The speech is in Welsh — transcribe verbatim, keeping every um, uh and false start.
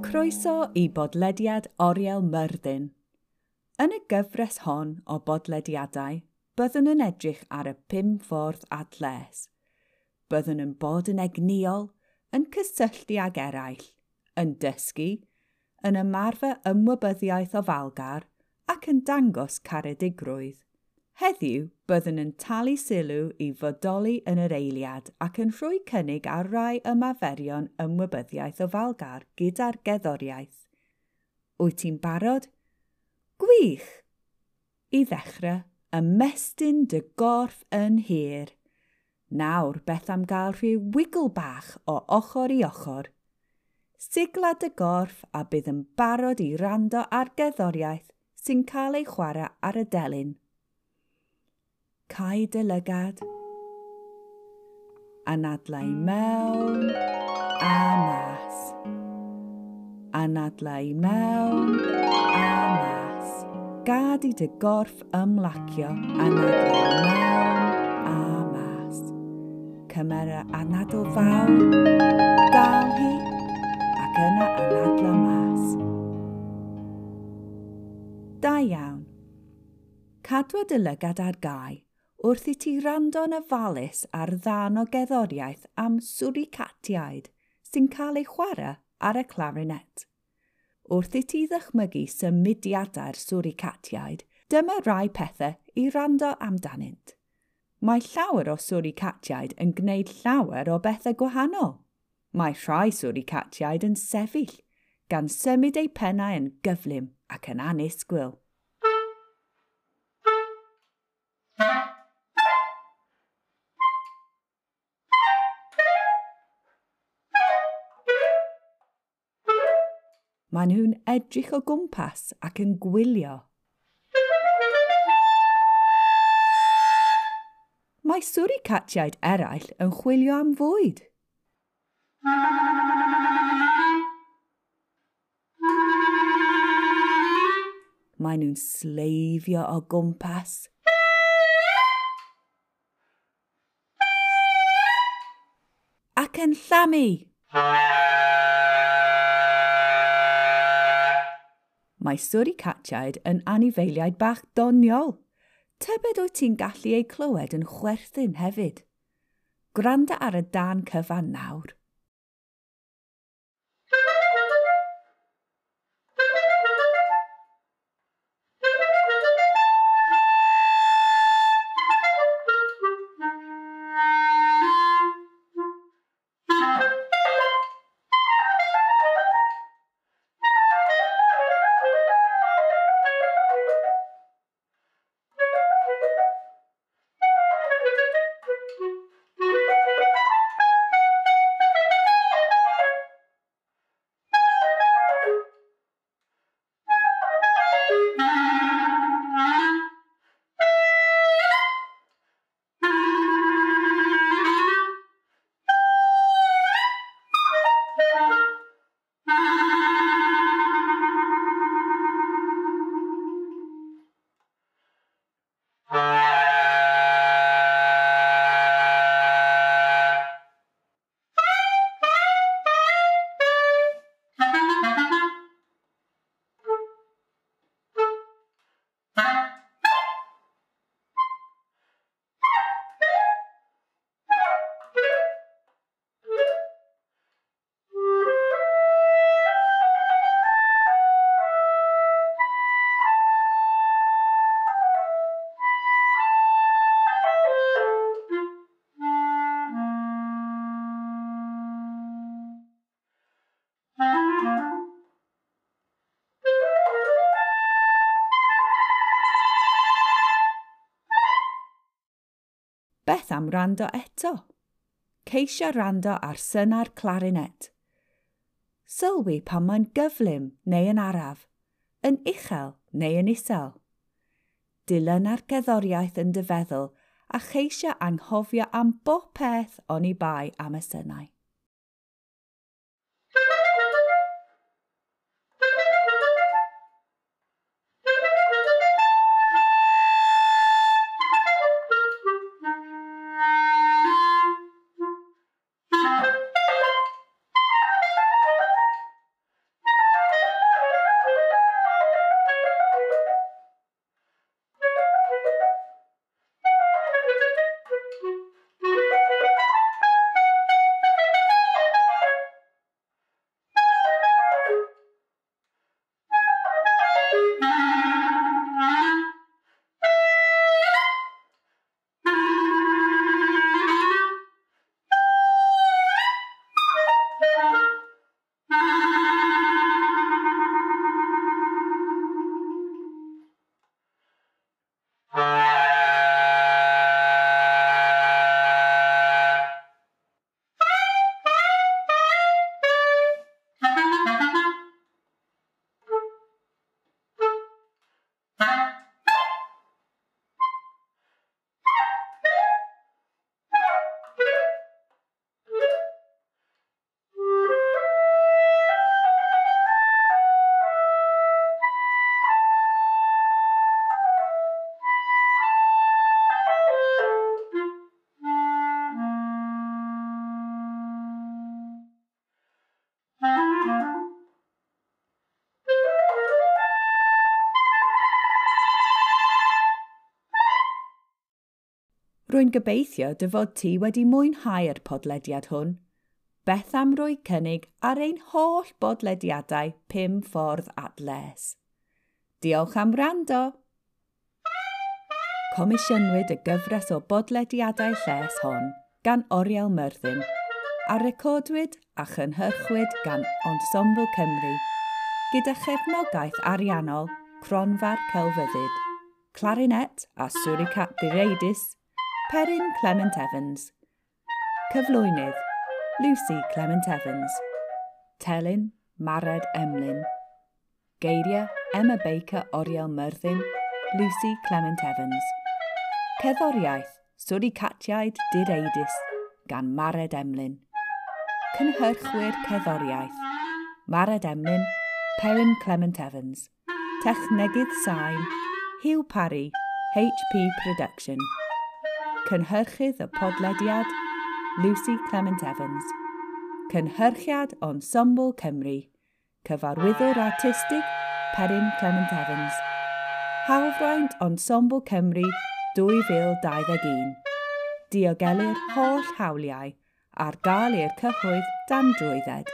Croeso i bodlediad Oriel Myrddin. Yn y gyfres hon o bodlediadau, byddwn yn edrych ar y pum ffordd at les. Byddwn yn bod yn egnïol, yn cysylltu ag eraill, yn dysgu, yn ymarfer ymwybyddiaeth ofalgar ac yn dangos caredigrwydd. Heddiw, byddwn yn talu sylw i fodoli yn yr eiliad ac yn rhoi cynnig ar rai ymarferion ymwybyddiaeth ofalgar gyda'r gerddoriaeth. Wyt ti'n barod? Gwych! I ddechrau, ymestyn dy gorff yn hir. Nawr, beth am gael rhyw wiggle bach o ochr i ochr? Sigla dy gorff a bydd yn barod i wrando ar gerddoriaeth sy'n cael ei chwarae ar y delyn. Cau dy lygad, anadla i mewn a mas. Anadla i mewn a mas. Gad i dy gorff ymlacio, anadla i mewn a mas. Cymera anadl fawr, dal hi, ac yna anadla mas. Da iawn. Cadwa dy lygad ar gau wrth i ti wrando'n ofalus ar ddarn o gerddoriaeth am swricatiaid sy'n cael ei chwarae ar y clarinet. Wrth i ti ddychmygu symudiadau'r swricatiaid, dyma rai pethau i wrando amdanynt. Mae llawer o swricatiaid yn gwneud llawer o bethau gwahanol. Mae rhai swricatiaid yn sefyll, gan symud eu pennau yn gyflym ac yn annisgwyl. Maen nhw'n edrych o gwmpas ac yn gwylio. Mae swricatiaid eraill yn chwilio am fwyd. Maen nhw'n sleifio o gwmpas. Ac yn llamu. Mae swricatiaid yn anifeiliaid bach doniol. Tybed wyt ti'n gallu eu clywed yn chwerthin hefyd. Gwranda ar y darn cyfan nawr. Beth am wrando eto? Ceisia wrando ar syna'r clarinet. Sylwi pan mae'n gyflym neu yn araf, yn uchel neu yn isel. Dilyna'r gerddoriaeth yn dy feddwl a cheisia anghofio am bob peth oni bai am y synau. Rwy'n gobeithio dy fod ti wedi mwynhau'r podlediad hwn. Beth am roi cynnig ar ein holl bodlediadau pum ffordd at les. Diolch am wrando! Comisiynwyd y gyfres o bodlediadau lles hon gan Oriel Myrddin a recordwyd a chynhyrchwyd gan Ensemble Cymru gyda chefnogaeth ariannol Cronfa'r Celfyddyd, Clarinet a Suricat Direidus, Peryn Clement Evans. Cyflwynydd, Lucy Clement Evans. Telyn, Mared Emlyn. Geiriau, Emma Baker Oriel Myrddin, Lucy Clement Evans. Cerddoriaeth, Suricatiaid Direidus, gan Mared Emlyn. Cynhyrchwyr cerddoriaeth, Mared Emlyn, Peryn Clement Evans. Technegydd sain, Hugh Parry, H P Production. Cynhyrchydd y podlediad, Lucy Clement Evans. Cynhyrchiad Ensemble Cymru. Cyfarwyddwr artistig, Peryn Clement Evans. Hawlfraint Ensemble Cymru dwy fil dau ddeg un. Diogelir holl hawliau ar gael i'r cyhoedd dan drwydded.